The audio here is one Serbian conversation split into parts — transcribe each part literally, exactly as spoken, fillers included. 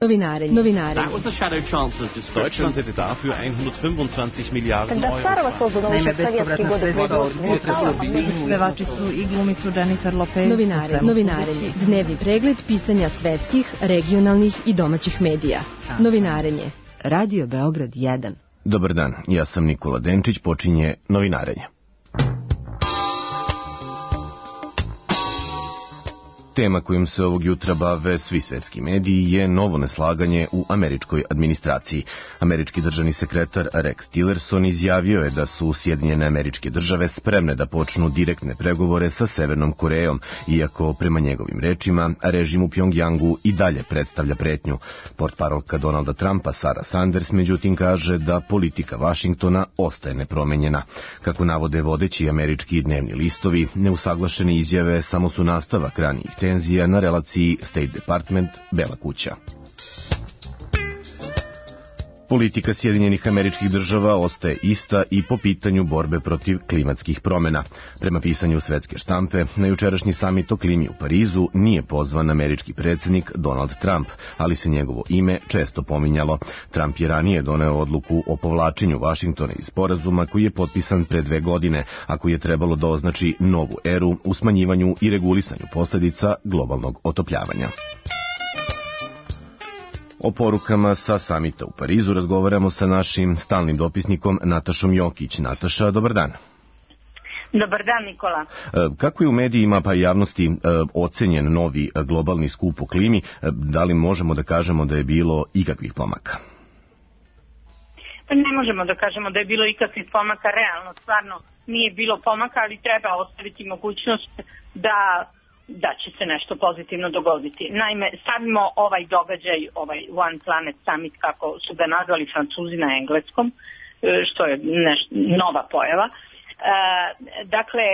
Novinarenje. Novinarenje. Deutschland hätte dafür hundertfünfundzwanzig Milliarden Euro. Naime, bespovratna sredstva od pevači su i glumicu Jennifer Lopez. Novinarenje. Novinarenje. Dnevni pregled pisanja svetskih, regionalnih i domaćih medija. Novinarenje. Radio Beograd jedan. Dobar dan, ja sam Nikola Denčić, počinje Novinarenje. Tema kojom se ovog jutra bave svi svetski mediji je novo neslaganje u američkoj administraciji. Američki državni sekretar Rex Tillerson izjavio je da su Sjedinjene Američke Države spremne da počnu direktne pregovore sa Severnom Korejom, iako prema njegovim rečima režim u Pjongjangu i dalje predstavlja pretnju. Portparolka Donalda Trumpa Sarah Sanders međutim kaže da politika Vašingtona ostaje nepromenjena. Kako navode vodeći američki dnevni listovi, neusaglašene izjave samo su nastavak ranijih tenzija na relaciji State Department – Bela kuća. Politika Sjedinjenih Američkih Država ostaje ista i po pitanju borbe protiv klimatskih promjena. Prema pisanju svetske štampe, na jučerašnji samit o klimi u Parizu nije pozvan američki predsjednik Donald Trump, ali se njegovo ime često pominjalo. Trump je ranije doneo odluku o povlačenju Vašingtona iz sporazuma koji je potpisan pre dve godine, a koji je trebalo da označi novu eru u smanjivanju i regulisanju posljedica globalnog otopljavanja. O porukama sa samita u Parizu razgovaramo sa našim stalnim dopisnikom Natašom Jokić. Nataša, dobar dan. Dobar dan, Nikola. Kako je u medijima pa i javnosti ocenjen novi globalni skup o klimi? Da li možemo da kažemo da je bilo ikakvih pomaka? Pa ne možemo da kažemo da je bilo ikakvih pomaka, realno, stvarno nije bilo pomaka, ali treba ostaviti mogućnost da da će se nešto pozitivno dogoditi. Naime, stavimo ovaj događaj, ovaj One Planet Summit, kako su ga nazvali Francuzi na engleskom, što je neš, nova pojava. E, dakle,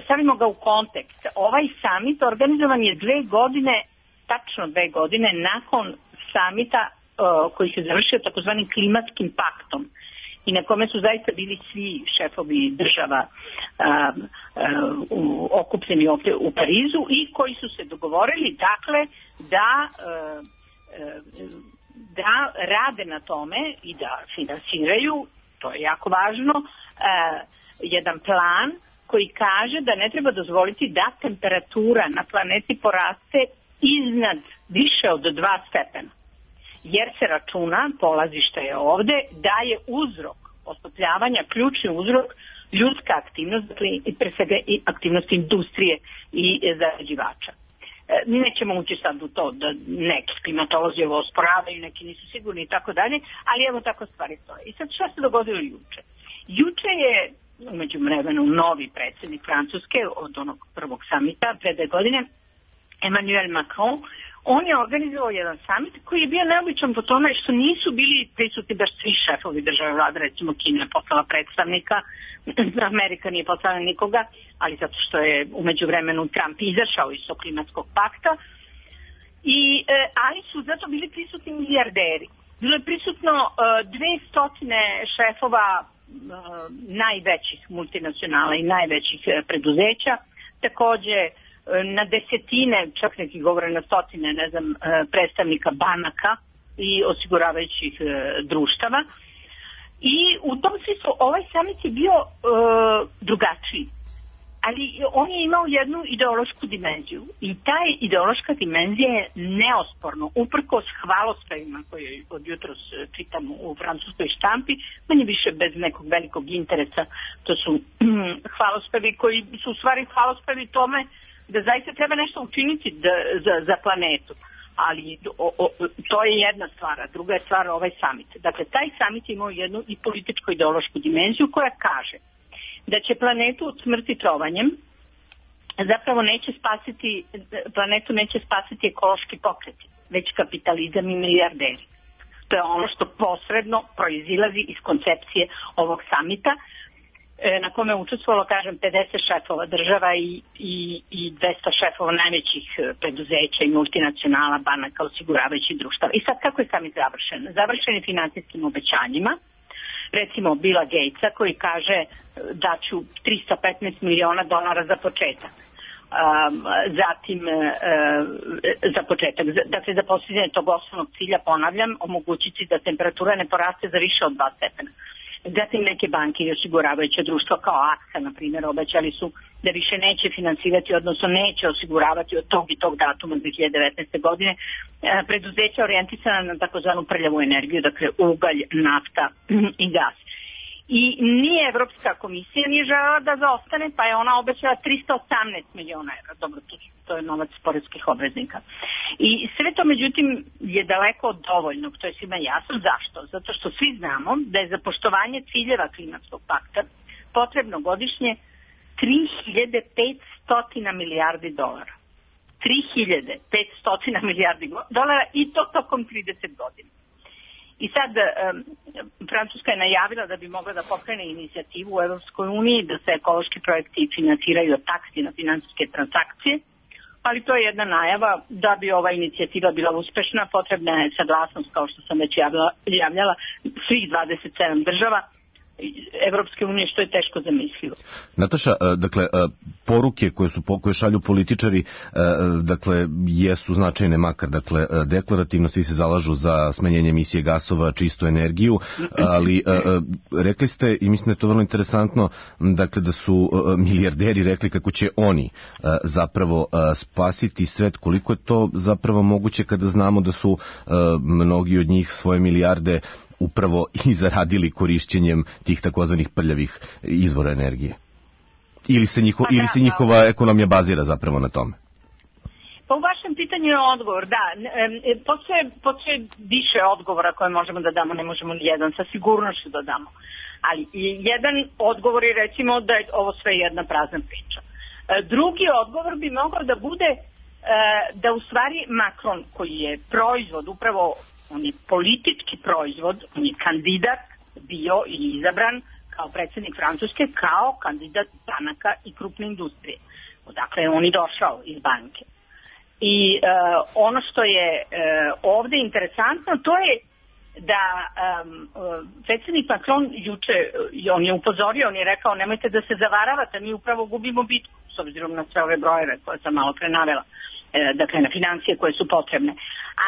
stavimo ga u kontekst. Ovaj summit organizovan je dve godine, tačno dve godine, nakon summita e, koji se završio takozvanim klimatskim paktom, i na kome su zaista bili svi šefovi država a, a, u, okupljeni ovdje u Parizu i koji su se dogovorili, dakle, da, a, da rade na tome i da finansiraju, to je jako važno, a, jedan plan koji kaže da ne treba dozvoliti da temperatura na planeti poraste iznad više od dva stepena. Jer se računa, polazište je ovde, da je uzrok otopljavanja, ključni uzrok ljudska aktivnost, dakle i pre svega i aktivnost industrije i zagađivača. E, nećemo ući sad u to da neki klimatolozi ovo osporavaju, neki nisu sigurni i tako dalje, ali evo tako stvari stoje. I sad šta se dogodilo juče? Juče je umeđu vremenu novi predsjednik Francuske od onog prvog samita pre dve godine, Emmanuel Macron. On je organizovao jedan summit koji je bio neobičan po tome što nisu bili prisutni baš svi šefovi države vlade, recimo Kina je poslala predstavnika, Amerika nije poslala nikoga, ali zato što je umeđu vremenu Trump izašao iz tog klimatskog pakta, I, e, ali su zato bili prisutni milijarderi. Bilo je prisutno e, dve stotine šefova e, najvećih multinacionala i najvećih e, preduzeća, takođe na desetine, čak neki govore na stotine, ne znam, predstavnika banaka i osiguravajućih društava. I u tom smislu ovaj summit je bio e, drugačiji. Ali on je imao jednu ideološku dimenziju. I ta ideološka dimenzija je neosporno, uprkos hvalospevima koje od jutros čitamo u francuskoj štampi, manje više bez nekog velikog interesa. To su hvalospevi koji su u stvari hvalospevi tome da zaista treba nešto učiniti da, za, za planetu. Ali o, o, to je jedna stvar, a druga je stvar ovaj summit. Dakle, taj summit imao jednu i političko-ideološku dimenziju koja kaže da će planetu od smrti trovanjem zapravo neće spasiti, planetu neće spasiti ekološki pokreti, već kapitalizam i milijarderi. To je ono što posredno proizilazi iz koncepcije ovog summita, na kome je učestvovalo, kažem, pedeset šefova država i, i, i dvesta šefova najvećih preduzeća i multinacionala, banaka, osiguravajućih društava. I sad kako je summit završen? Završen je finansijskim obećanjima, recimo Billa Gatesa koji kaže da ću trista petnaest miliona dolara za početak. zatim za početak, dakle za postizanje tog osnovnog cilja, ponavljam, omogućiti da temperatura ne poraste za više od dva stepena. Zatim neke banke i osiguravajuće društva kao AXA, na primjer, obećali su da više neće finansirati, odnosno neće osiguravati od tog i tog datuma dve hiljade devetnaeste. godine preduzeća orijentisana na takozvanu prljavu energiju, dakle ugalj, nafta i gas. I nije Evropska komisija nije želela da zaostane, pa je ona obećala trista osamnaest miliona evra. Dobro, to, to je novac poreskih obveznika. I sve to, međutim, je daleko od dovoljnog, to je svima jasno. Zašto? Zato što svi znamo da je za poštovanje ciljeva klimatskog pakta potrebno godišnje tri hiljade petsto milijardi dolara. tri hiljade petsto milijardi dolara i to tokom trideset godina. I sad, um, Francuska je najavila da bi mogla da pokrene inicijativu u Evropskoj uniji da se ekološki projekti finansiraju od taksi na finansijske transakcije, ali to je jedna najava. Da bi ova inicijativa bila uspešna, potrebna je saglasnost, kao što sam već javljala, javljala svih dvadeset sedam država Evropske unije, što je teško zamislivo. Nataša, dakle, poruke koje su koje šalju političari, dakle, jesu značajne, makar, dakle, deklarativno svi se zalažu za smanjenje emisije gasova, čistu energiju, ali rekli ste, i mislim da je to vrlo interesantno, dakle, da su milijarderi rekli kako će oni zapravo spasiti svet. Koliko je to zapravo moguće kada znamo da su mnogi od njih svoje milijarde upravo i zaradili korišćenjem tih takozvanih prljavih izvora energije? Ili se, njiho, pa ili se njihova da. ekonomija bazira zapravo na tome? Pa u vašem pitanju je odgovor, da. Postoje, postoje više odgovora koje možemo da damo, ne možemo ni jedan sa sigurnošću da damo. Ali jedan odgovor je, recimo, da je ovo sve jedna prazna priča. Drugi odgovor bi mogao da bude da u stvari Macron, koji je proizvod upravo, on je politički proizvod, on je kandidat bio i izabran kao predsjednik Francuske, kao kandidat banaka i krupne industrije. Odakle je on i došao iz banke. I uh, ono što je uh, ovdje interesantno, to je da um, predsjednik Macron juče, on je upozorio, on je rekao, nemojte da se zavaravate, mi upravo gubimo bitku, s obzirom na sve ove brojeve koje sam malo pre navela, dakle na financije koje su potrebne.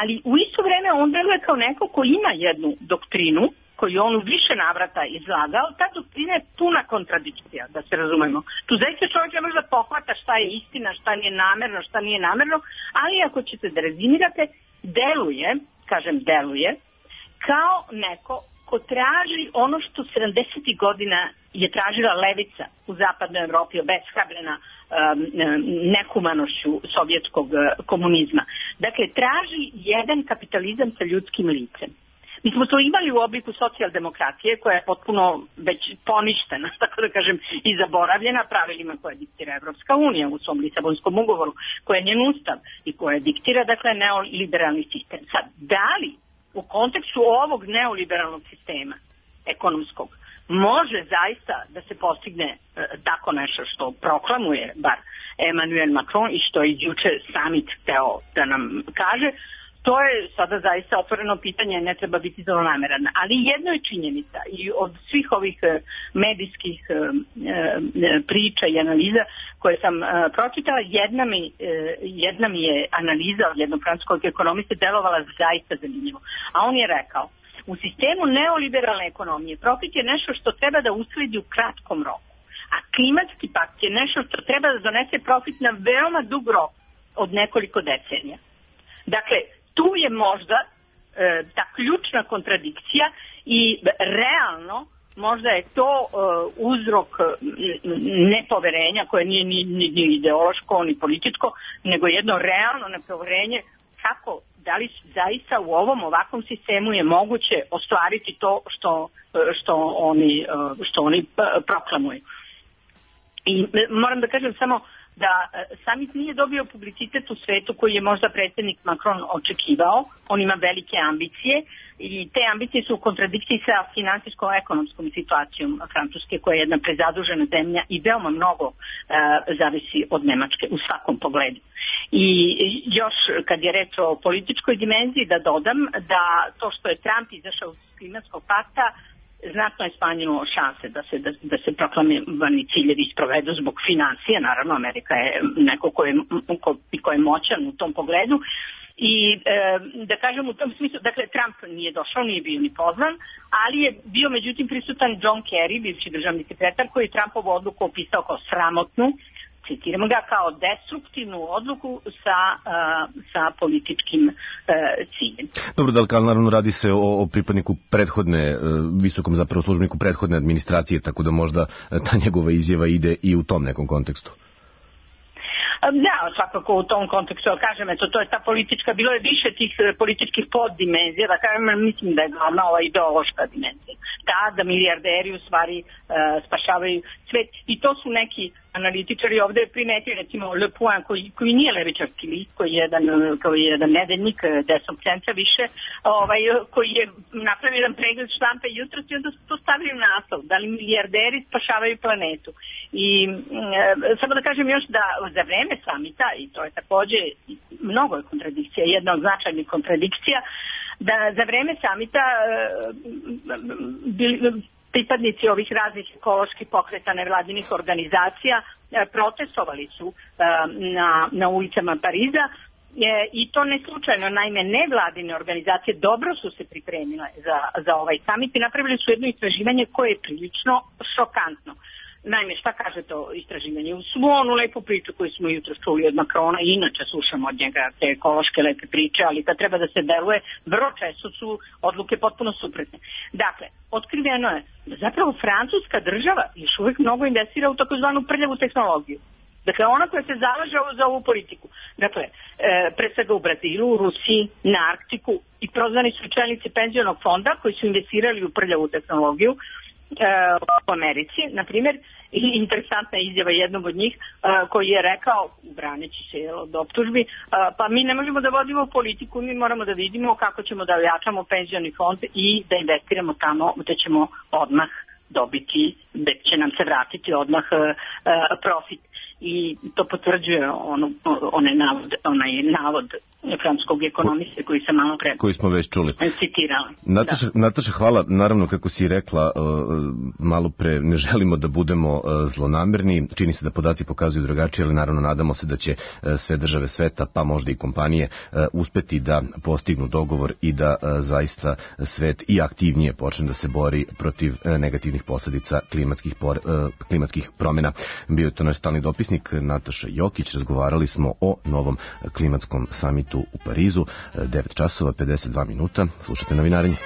Ali u isto vreme on deluje kao neko ko ima jednu doktrinu koju on u više navrata izlagao. Ta doktrina je puna kontradikcija, da se razumemo. Tu zaista čovjek ne može da pohvata šta je istina, šta nije namerno, šta nije namerno, ali ako ćete da rezimirate, deluje, kažem deluje, kao neko ko traži ono što sedamdesetih godina je tražila levica u zapadnoj Evropi, obeshrabrena um, nehumanošću sovjetskog uh, komunizma. Dakle, traži jedan kapitalizam sa ljudskim licem. Mi smo to imali u obliku socijaldemokratije koja je potpuno već poništena, tako da kažem, i zaboravljena pravilima koje diktira Evropska unija u svom Lisabonskom ugovoru, koja je njen ustav i koja diktira, dakle, neoliberalni sistem. Sad, da li u kontekstu ovog neoliberalnog sistema ekonomskog može zaista da se postigne e, tako nešto što proklamuje bar Emmanuel Macron i što je juče summit hteo da nam kaže, to je sada zaista otvoreno pitanje, ne treba biti zlonameran. Ali jedno je činjenica i od svih ovih e, medijskih e, e, priča i analiza koje sam e, pročitala, jedna mi, e, jedna mi je analiza od jednog francuskog ekonomiste delovala zaista zanimljivo. A on je rekao, u sistemu neoliberalne ekonomije profit je nešto što treba da usledi u kratkom roku, a klimatski pakt je nešto što treba da donese profit na veoma dug rok od nekoliko decenija. Dakle, tu je možda e, ta ključna kontradikcija i realno možda je to e, uzrok nepoverenja koje nije ni, ni, ni ideološko ni političko, nego jedno realno nepoverenje kako, da li zaista u ovom ovakvom sistemu je moguće ostvariti to što, što oni, što oni proklamuju. I moram da kažem samo da summit nije dobio publicitet u svetu koji je možda predsjednik Macron očekivao. On ima velike ambicije i te ambicije su u kontradikciji sa finansijsko-ekonomskom situacijom Francuske, koja je jedna prezadužena zemlja i veoma mnogo uh, zavisi od Nemačke u svakom pogledu. I još kad je reč o političkoj dimenziji, da dodam da to što je Trump izašao iz klimatskog pakta znatno je smanjilo šanse da se, da, da se proklamirani ciljevi isprovedu zbog financija. Naravno, Amerika je neko ko je, ko, ko je moćan u tom pogledu. I e, da kažem u tom smislu, dakle Trump nije došao, nije bio ni pozvan, ali je bio međutim prisutan John Kerry, bivši državni sekretar, koji je Trumpovu odluku opisao kao sramotnu, citiramo ga, kao destruktivnu odluku sa, uh, sa političkim uh, ciljem. Dobro, da li naravno radi se o, o pripadniku prethodne, uh, visokom zapravo službeniku prethodne administracije, tako da možda ta njegova izjava ide i u tom nekom kontekstu. Da, svakako u tom kontekstu, ali kažem, eto, to je ta politička, bilo je više tih političkih poddimenzija, da kažem, mislim da je glavna ova ideološka dimenzija. Da, da milijarderi u stvari uh, spašavaju svet i to su neki analitičari ovde primetili, recimo Le Point, koji, koji nije levičarski list, koji je jedan, koji je jedan nedeljnik desnog centra više, ovaj, koji je napravio jedan pregled štampe jutros i onda su to stavili u naslov, da li milijarderi spašavaju planetu. I e, samo da kažem još da za vreme samita, i to je takođe mnogo je kontradikcija, jedna od značajnih kontradikcija, da za vreme samita e, bili, pripadnici ovih raznih ekoloških pokreta nevladinih organizacija e, protestovali su e, na, na ulicama Pariza e, i to ne slučajno, naime nevladine organizacije dobro su se pripremile za, za ovaj samit i napravili su jedno istraživanje koje je prilično šokantno. Naime, šta kaže to istraživanje? U svu onu lepu priču koju smo jutro čuli od Makrona, i inače slušamo od njega te ekološke lepe priče, ali kad treba da se deluje, vrlo često su odluke potpuno suprotne. Dakle, otkriveno je da zapravo francuska država još uvijek mnogo investira u takozvanu prljavu tehnologiju. Dakle, ona koja se zalaže za ovu politiku. Dakle, e, pre svega u Brazilu, u Rusiji, na Arktiku i prozvani su čelnici penzionog fonda koji su investirali u prljavu tehnologiju u Americi, na primjer, i interesantna izjava jednog od njih koji je rekao, braneći se od optužbi, pa mi ne možemo da vodimo politiku, mi moramo da vidimo kako ćemo da ojačamo penzioni fond i da investiramo tamo gde ćemo odmah dobiti, gde će nam se vratiti odmah profit. I to potvrđuje ono, onaj navod, onaj navod francuskog ekonomiste koji sam malo pre koji smo već čuli. Citirala. Nataša, Nataša, hvala. Naravno, kako si rekla, malo pre ne želimo da budemo zlonamerni. Čini se da podaci pokazuju drugačije, ali naravno nadamo se da će sve države sveta, pa možda i kompanije, uspeti da postignu dogovor i da zaista svet i aktivnije počne da se bori protiv negativnih posledica klimatskih, por, klimatskih promjena. Bio je to naš stalni dopisnik Nataša Jokić. Razgovarali smo o novom klimatskom samitu u Parizu. devet časova pedeset dva minuta. Slušajte Novinarenje.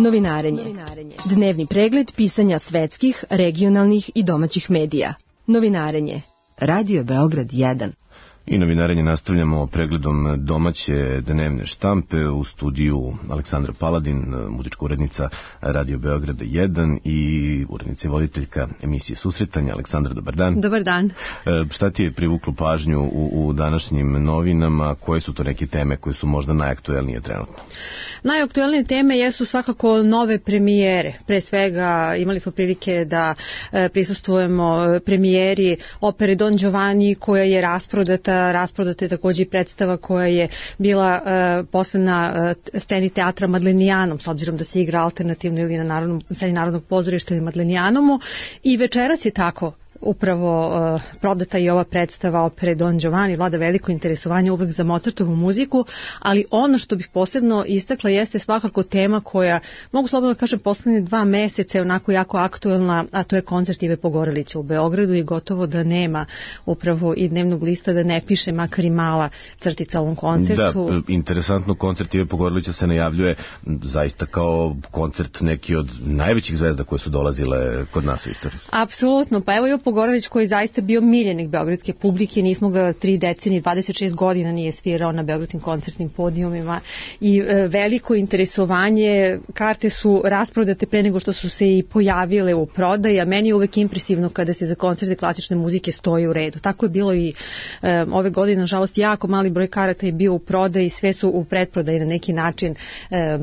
Novinarenje. Dnevni pregled pisanja svetskih, regionalnih i domaćih medija. Novinarenje. Radio Beograd jedan. I novinarenje nastavljamo pregledom domaće dnevne štampe. U studiju Aleksandra Paladin, muzička urednica Radio Beograda jedan i urednica i voditeljka emisije Susretanja. Aleksandra, dobar dan. Dobar dan. E, šta ti je privuklo pažnju u, u današnjim novinama? Koje su to neke teme koje su možda najaktuelnije trenutno? Najaktuelnije teme jesu svakako nove premijere. Pre svega imali smo prilike da e, prisustvujemo premijeri opere Don Giovanni koja je rasprodata. Rasprodata je također i predstava koja je bila e, posle na e, sceni teatra Madlenijanom, s obzirom da se igra alternativno ili na narodnom, sceni Narodnog pozorišta ili Madlenijanomu. I večeras je tako upravo uh, prodata i ova predstava opere Don Giovanni, vlada veliko interesovanje uvek za Mozartovu muziku, ali ono što bih posebno istakla jeste svakako tema koja, mogu slobodno kažem, poslednje dva meseca je onako jako aktuelna, a to je koncert Ive Pogorelića u Beogradu i gotovo da nema upravo i dnevnog lista da ne piše makar i mala crtica o ovom koncertu. Da, interesantno, koncert Ive Pogorelića se najavljuje zaista kao koncert neki od najvećih zvezda koje su dolazile kod nas u istoriji. Apsolutno, pa evo Ivo Pogorelić koji je zaista bio miljenik beogradske publike, nismo ga tri decenije, dvadeset šest godina nije svirao na beogradskim koncertnim podijumima i veliko interesovanje, karte su rasprodate pre nego što su se i pojavile u prodaji, a meni je uvek impresivno kada se za koncerte klasične muzike stoji u redu. Tako je bilo i e, ove godine, nažalost, jako mali broj karata je bio u prodaji, sve su u pretprodaji na neki način e, e,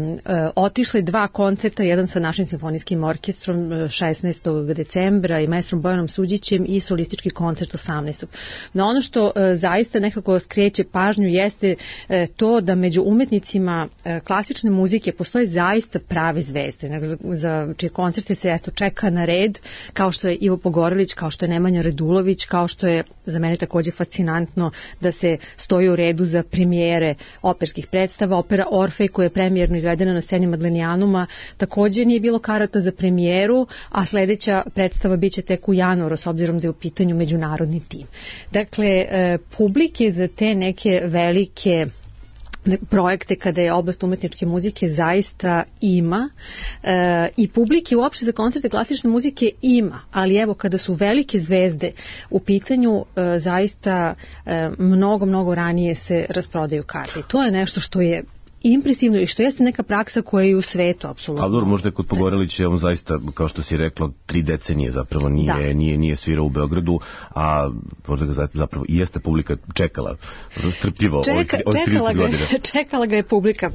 otišle dva koncerta, jedan sa našim simfonijskim orkestrom šesnaestog decembra i maestrom Bojanom Suđićem i solistički koncert osamnaestog No ono što e, zaista nekako skreće pažnju jeste e, to da među umetnicima e, klasične muzike postoje zaista prave zvezde, za, za čije koncerte se eto čeka na red, kao što je Ivo Pogorelić, kao što je Nemanja Radulović, kao što je za mene takođe fascinantno da se stoji u redu za premijere operskih predstava. Opera Orfej koja je premijerno izvedena na sceni Madlenijanuma takođe nije bilo karata za premijeru, a sledeća predstava biće tek u januaru s obzirom da je u pitanju međunarodni tim. Dakle, publike za te neke velike projekte kada je oblast umetničke muzike zaista ima e, i publike uopšte za koncerte klasične muzike ima, ali evo kada su velike zvezde u pitanju e, zaista e, mnogo, mnogo ranije se rasprodaju karte. To je nešto što je impresivno i što jeste neka praksa koja je u svetu apsolutno. Ali dobro, možda je kod Pogorelića on zaista, kao što si rekla, tri decenije zapravo nije, da. nije, nije svirao u Beogradu, a možda ga zapravo i jeste publika čekala strpljivo Čeka, ovih trideset godina. Čekala ga je publika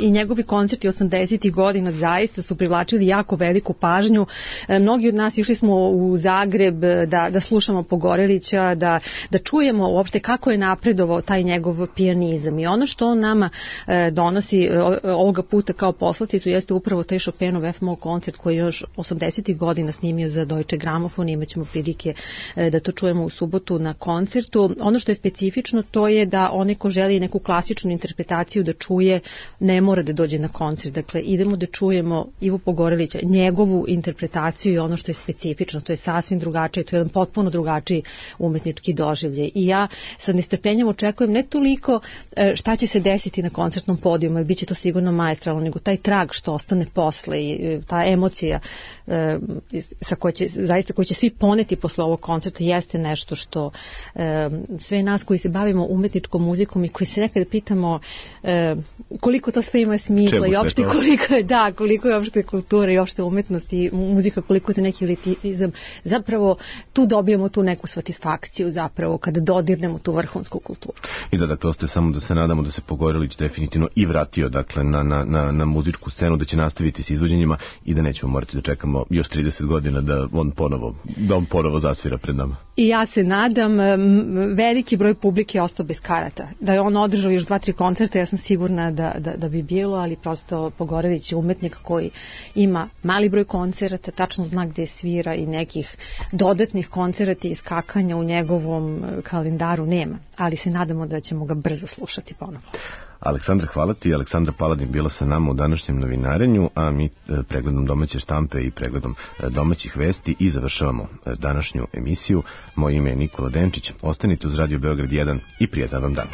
i njegovi koncerti osamdesetih godina zaista su privlačili jako veliku pažnju. Mnogi od nas išli smo u Zagreb da, da slušamo Pogorelića, da, da čujemo uopšte kako je napredovao taj njegov pijanizam i ono što on nama donosi ovoga puta kao poslaticu jeste upravo taj Chopinov F-moll koncert koji je još osamdesetih godina snimio za Deutsche Grammophon. Imaćemo prilike da to čujemo u subotu na koncertu. Ono što je specifično to je da onaj ko želi neku klasičnu interpretaciju da čuje ne mora da dođe na koncert. Dakle, idemo da čujemo Ivo Pogorelića, njegovu interpretaciju i ono što je specifično. To je sasvim drugačije, to je jedan potpuno drugačiji umetnički doživljaj. I ja sa nestrpljenjem očekujem ne toliko šta će se desiti na koncertnom podijuma, jer bit će to sigurno maestralno, nego taj trag što ostane posle i ta emocija e, sa koje će, zaista koji će svi poneti posle ovog koncerta jeste nešto što e, sve nas koji se bavimo umetničkom muzikom i koji se nekada pitamo e, koliko to sve ima smisla Čemu i opšte koliko je, da, koliko je opšte kultura i opšte umetnost i muzika, koliko je to neki elitizam, zapravo tu dobijemo tu neku satisfakciju zapravo kada dodirnemo tu vrhunsku kulturu. I da, dakle, ostaje samo da se nadamo da se Pogorelić definitivno i vratio dakle na, na, na, na muzičku scenu, da će nastaviti s izvođenjima i da nećemo morati da čekamo još trideset godina da on ponovo, da on ponovo zasvira pred nama. I ja se nadam, veliki broj publike je ostao bez karata. Da je on održao još dva, tri koncerta, ja sam sigurna da, da, da bi bilo, ali prosto Pogorelić je umetnik koji ima mali broj koncerata, tačno zna gde svira i nekih dodatnih koncerata i skakanja u njegovom kalendaru nema. Ali se nadamo da ćemo ga brzo slušati ponovo. Aleksandra, hvala ti. Aleksandra Paladin bila sa nama u današnjem novinarenju, a mi pregledom domaće štampe i pregledom domaćih vesti i završavamo današnju emisiju. Moje ime je Nikola Denčić. Ostanite uz Radio Beograd jedan i prijatan vam dan.